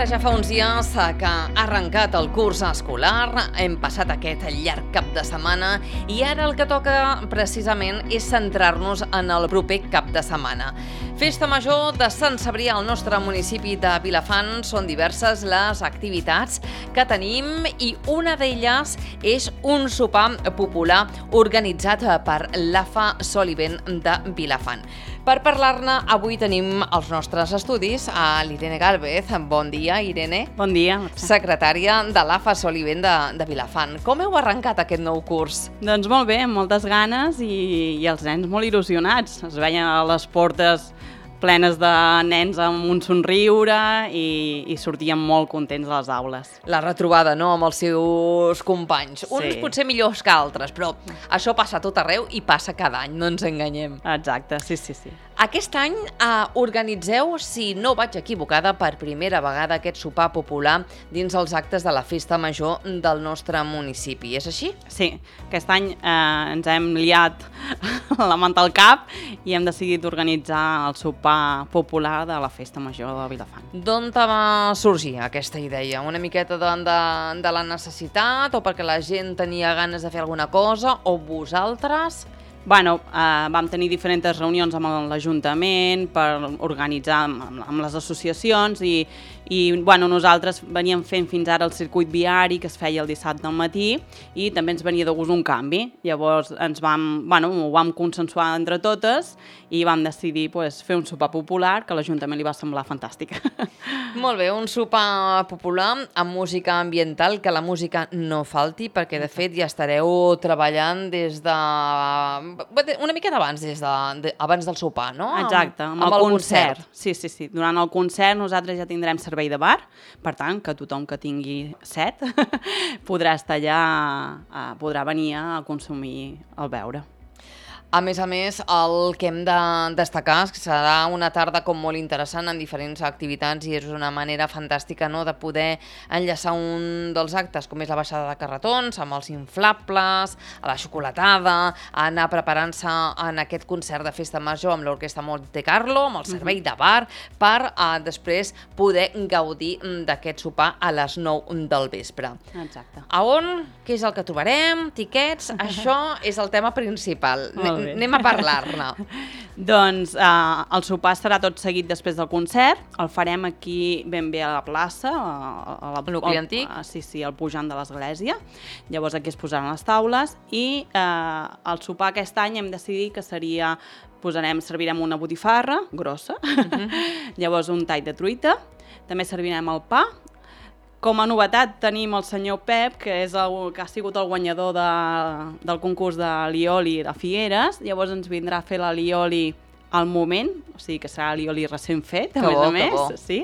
Ara ja fa uns dies que ha arrencat el curs escolar, hem passat aquest llarg cap de setmana i ara el que toca precisament és centrar-nos en el proper cap de setmana. Festa Major de Sant Cebrià al nostre municipi de Vilafant. Són diverses les activitats que tenim i una d'elles és un sopar popular organitzat per l'AFA Sol i Vent de Vilafant. Per parlar-ne, avui tenim als nostres estudis a l'Irene Gálvez. Bon dia, Irene. Bon dia. Secretària de l'AFA Sol i Vent de Vilafant. Com heu arrencat aquest nou curs? Doncs molt bé, amb moltes ganes i els nens molt il·lusionats. Es veien a les portes plenes de nens amb un somriure i sortien molt contents a les aules. La retrobada, no?, amb els seus companys. Sí. Uns potser millors que altres, però això passa a tot arreu i passa cada any, no ens enganyem. Exacte, sí. Aquest any organitzeu, si no vaig equivocada, per primera vegada aquest sopar popular dins els actes de la Festa Major del nostre municipi. És així? Sí, aquest any ens hem liat la manta al cap i hem decidit organitzar el sopar popular de la Festa Major de Vilafant. D'on te va sorgir aquesta idea? Una miqueta de la necessitat o perquè la gent tenia ganes de fer alguna cosa o vosaltres? Bueno, vam tenir diferents reunions amb l'Ajuntament per organitzar amb les associacions i nosaltres veníem fent fins ara el circuit viari que es feia el dissabte al matí i també ens venia de gust un canvi. Llavors ho vam consensuar entre totes i vam decidir fer un sopar popular que a l'Ajuntament li va semblar fantàstic. Molt bé, un sopar popular amb música ambiental, que la música no falti, perquè de fet ja estareu treballant des de... una miqueta abans, abans del sopar, no? Exacte, amb el concert. Sí. Durant el concert nosaltres ja tindrem servei de bar, per tant, que tothom que tingui set podrà estar allà, podrà venir a consumir el beure. A més, el que hem de destacar és que serà una tarda com molt interessant en diferents activitats i és una manera fantàstica, no?, de poder enllaçar un dels actes, com és la baixada de carretons, amb els inflables, a la xocolatada, anar preparant-se en aquest concert de Festa Major amb l'Orquestra Monte Carlo, amb el servei de bar, per després poder gaudir d'aquest sopar a les 9 del vespre. Exacte. A on? Què és el que trobarem? Tiquets? Això és el tema principal. Anem a parlar-ne. Doncs el sopar serà tot seguit després del concert, el farem aquí ben bé a la plaça, al nucli antic. Sí, al pujant de l'església. Llavors aquí es posaran les taules i el sopar aquest any hem decidit que servirem una botifarra grossa, llavors un tall de truita, també servirem el pa. Com a novetat tenim el senyor Pep, que ha sigut el guanyador del concurs de lioli de Figueres, llavors ens vindrà a fer la lioli al moment, o sigui que serà lioli recent fet, a més. Sí.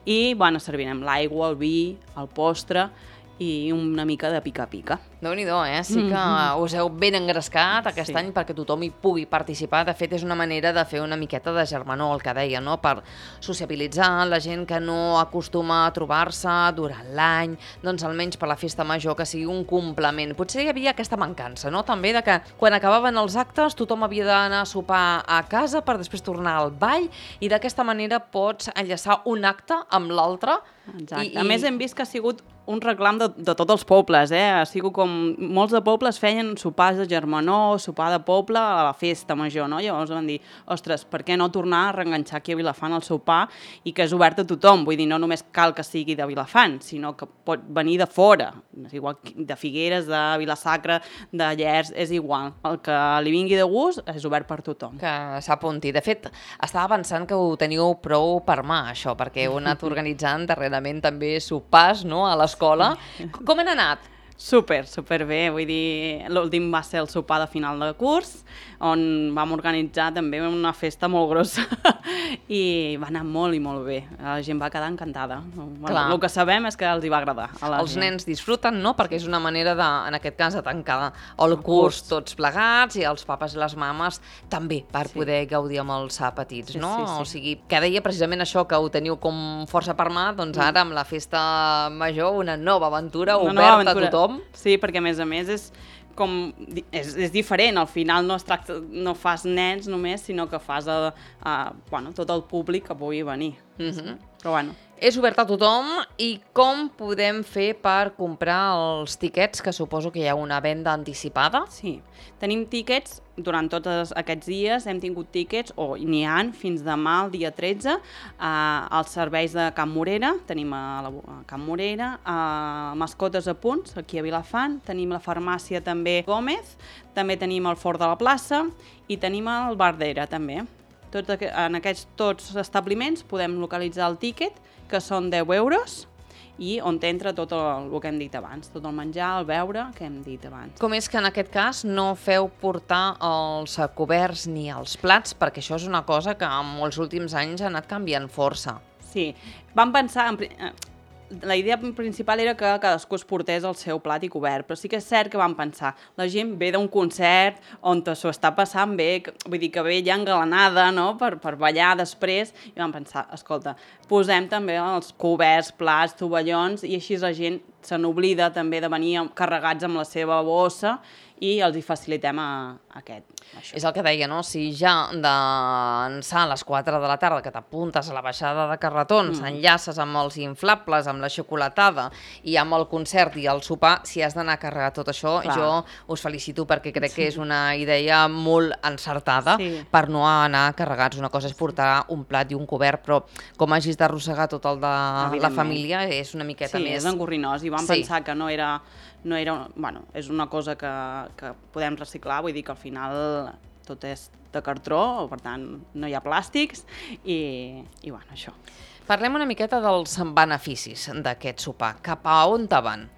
I servirem l'aigua, el vi, el postre i una mica de pica-pica. Déu-n'hi-do, Sí que us heu ben engrescat aquest any perquè tothom hi pugui participar. De fet, és una manera de fer una miqueta de germanor, el que deia, no?, per sociabilitzar la gent que no acostuma a trobar-se durant l'any, doncs almenys per la Festa Major, que sigui un complement. Potser hi havia aquesta mancança, no?, també de que quan acabaven els actes tothom havia d'anar a sopar a casa per després tornar al ball i d'aquesta manera pots enllaçar un acte amb l'altre. Exacte. A més, hem vist que ha sigut un reclam de tots els pobles, Ha sigut com molts de pobles feien sopars de germanor, sopar de poble a la Festa Major, no? Llavors van dir, ostres, per què no tornar a reenganxar aquí a Vilafant el sopar i que és obert a tothom? Vull dir, no només cal que sigui de Vilafant, sinó que pot venir de fora, és igual de Figueres, de Vila-sacra, de Llers, és igual. El que li vingui de gust és obert per tothom. Que s'apunti. De fet, estava pensant que ho teniu prou per mà, això, perquè heu anat organitzant darrerament també sopars, no?, a l'escola. Com han anat? Super bé, vull dir, l'últim va ser el sopar de final de curs, on vam organitzar també una festa molt grossa i va anar molt i molt bé. La gent va quedar encantada. El que sabem és que els hi va agradar. Els nens disfruten, no?, perquè és una manera en aquest cas, de tancar el curs tots plegats i els papes i les mames també per poder gaudir amb els petits, no? O sigui, que deia precisament això, que ho teniu com força per mà, doncs ara amb la Festa Major una nova aventura oberta a tothom. Sí, perquè a més és és diferent, al final no fas nens només, sinó que fas tot el públic que pugui venir. Però bueno. És obert a tothom i com podem fer per comprar els tiquets, que suposo que hi ha una venda anticipada? Sí, tenim tíquets durant tots aquests dies, hem tingut tíquets, o n'hi ha fins demà, el dia 13, als serveis de Can Morera, tenim a Can Morera, a Mascotes a Punts, aquí a Vilafant, tenim la farmàcia també Gómez, també tenim el Fort de la Plaça i tenim el Bar d'Era també. En aquests tots establiments podem localitzar el tíquet, que són 10 euros, i on t'entra tot el que hem dit abans, tot el menjar, el beure, que hem dit abans. Com és que en aquest cas no feu portar els coberts ni els plats, perquè això és una cosa que en molts últims anys ha anat canviant força. Sí, vam pensar... La idea principal era que cadascú es portés el seu plat i cobert, però sí que és cert que vam pensar, la gent ve d'un concert on s'ho està passant bé, vull dir que ve ja engalanada, no?, per ballar després, i vam pensar, escolta, posem també els coberts, plats, tovallons, i així la gent se n'oblida també de venir carregats amb la seva bossa i els hi facilitem això. És el que deia, no? Si ja d'ençà a les 4 de la tarda que t'apuntes a la baixada de carretons, enllaces amb els inflables, amb la xocolatada i amb el concert i el sopar, si has d'anar a carregar tot això, jo us felicito perquè crec que és una idea molt encertada per no anar carregats. Una cosa és portar un plat i un cobert, però com hagis d'arrossegar tot el de la família és una miqueta més... Sí, és engorrinós i vam pensar que no era... Bueno, és una cosa que podem reciclar, vull dir que al final tot és de cartró, per tant no hi ha plàstics i bueno, això. Parlem una miqueta dels beneficis d'aquest sopar. Cap a on te van?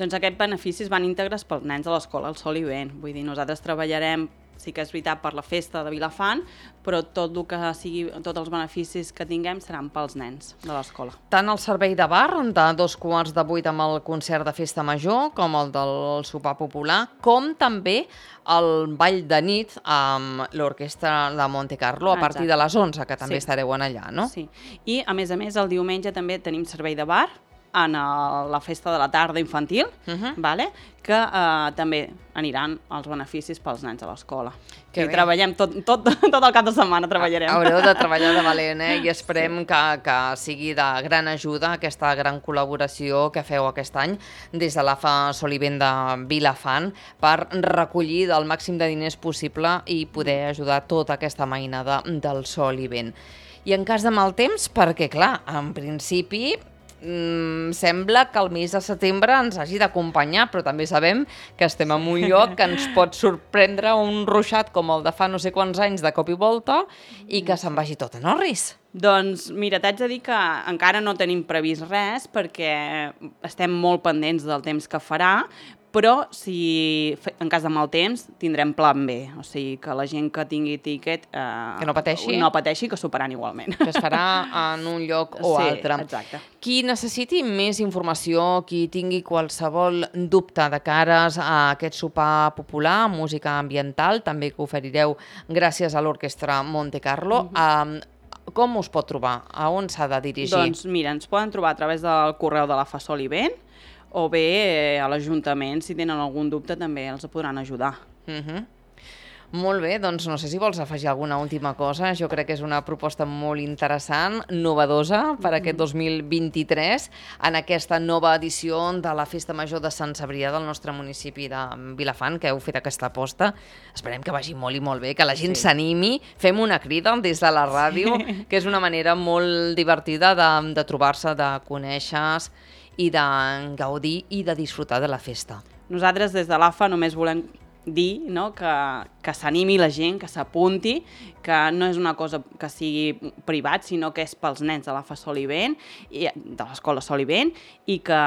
Doncs aquests beneficis van íntegres pels nens de l'escola El Sol i Vent. Vull dir, nosaltres treballarem, sí que és veritat, per la festa de Vilafant, però tot el que sigui, tots els beneficis que tinguem seran pels nens de l'escola. Tant el servei de bar, de 7:45 amb el concert de festa major, com el del sopar popular, com també el ball de nit amb l'orquestra de Monte Carlo a partir de les 11, que també estareu allà, no? Sí, i a més, el diumenge també tenim servei de bar en la festa de la tarda infantil, que també aniran els beneficis pels nens a l'escola. I treballem tot el cap de setmana, treballarem. Haureu de treballar de valent, i esperem que sigui de gran ajuda aquesta gran col·laboració que feu aquest any des de l'AFA Sol i Vent de Vilafant per recollir el màxim de diners possible i poder ajudar tota aquesta mainada del Sol i Vent. I en cas de mal temps, perquè clar, en principi sembla que el mes de setembre ens hagi d'acompanyar, però també sabem que estem en un lloc que ens pot sorprendre un ruixat com el de fa no sé quants anys de cop i volta i que se'n vagi tot en orris. Doncs mira, t'haig de dir que encara no tenim previst res perquè estem molt pendents del temps que farà, però si en cas de mal temps tindrem plan B, o sigui que la gent que tingui tíquet que no pateixi, que s'ho faran igualment. Que es farà en un lloc o altre. Exacte. Qui necessiti més informació, qui tingui qualsevol dubte de cares a aquest sopar popular, música ambiental, també que oferireu gràcies a l'orquestra Monte Carlo, com us pot trobar? A on s'ha de dirigir? Doncs mira, ens poden trobar a través del correu de l'AFA Sol i Vent o bé a l'Ajuntament, si tenen algun dubte també els podran ajudar. Molt bé, doncs no sé si vols afegir alguna última cosa. Jo crec que és una proposta molt interessant, novedosa per aquest 2023, en aquesta nova edició de la Festa Major de Sant Cebrià del nostre municipi de Vilafant, que heu fet aquesta aposta. Esperem que vagi molt i molt bé, que la gent s'animi. Fem una crida des de la ràdio, que és una manera molt divertida de trobar-se, de conèixer i de gaudir i de disfrutar de la festa. Nosaltres des de l'AFA només volem dir que s'animi la gent, que s'apunti, que no és una cosa que sigui privat, sinó que és pels nens de l'AFA Sol i Vent, de l'escola Sol i Vent, i que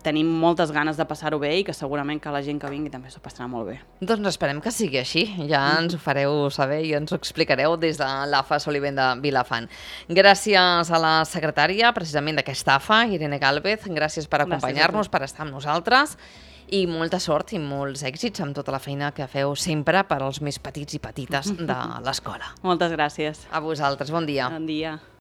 tenim moltes ganes de passar-ho bé i que segurament que la gent que vingui també s'ho passarà molt bé. Doncs esperem que sigui així. Ja ens ho fareu saber i ens ho explicareu des de l'AFA Sol i Vent de Vilafant. Gràcies a la secretària, precisament d'aquesta AFA, Irene Gálvez. Gràcies per acompanyar-nos, per estar amb nosaltres. I molta sort i molts èxits amb tota la feina que feu sempre per als més petits i petites de l'escola. Moltes gràcies. A vosaltres, bon dia. Bon dia.